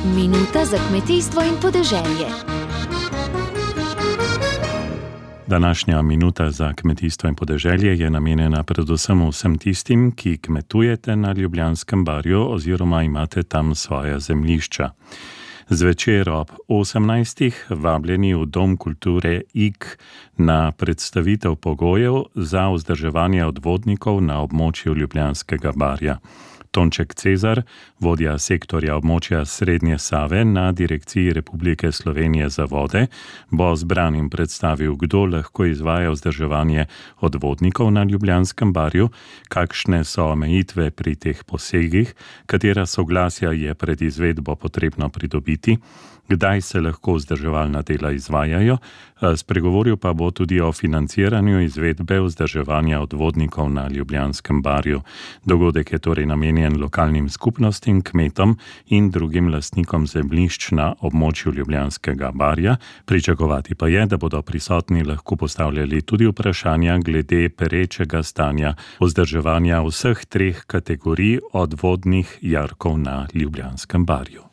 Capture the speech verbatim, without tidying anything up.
Minuta za kmetijstvo in podeželje. Današnja minuta za kmetijstvo in podeželje je namenjena predvsem vsem tistim, ki kmetujete na Ljubljanskem barju oziroma imate tam svoja zemljišča. Zvečer ob osemnajstih vabljeni v Dom kulture Ig na predstavitev pogojev za vzdrževanje odvodnikov na območju Ljubljanskega barja. Tonček Cezar, vodja sektorja območja Srednje Save na Direkciji Republike Slovenije za vode, bo zbranim predstavil, kdo lahko izvaja vzdrževanje odvodnikov na Ljubljanskem barju, kakšne so omejitve pri teh posegih, katera soglasja je pred izvedbo potrebno pridobiti, kdaj se lahko vzdrževalna dela izvajajo, spregovoril pa bo tudi o financiranju izvedbe vzdrževanja odvodnikov na Ljubljanskem barju. Dogodek je torej namenjen lokalnim skupnostim, kmetom in drugim lastnikom zemljišč na območju Ljubljanskega barja. Pričakovati pa je, da bodo prisotni lahko postavljali tudi vprašanja glede perečega stanja vzdrževanja vseh treh kategorij odvodnih jarkov na Ljubljanskem barju.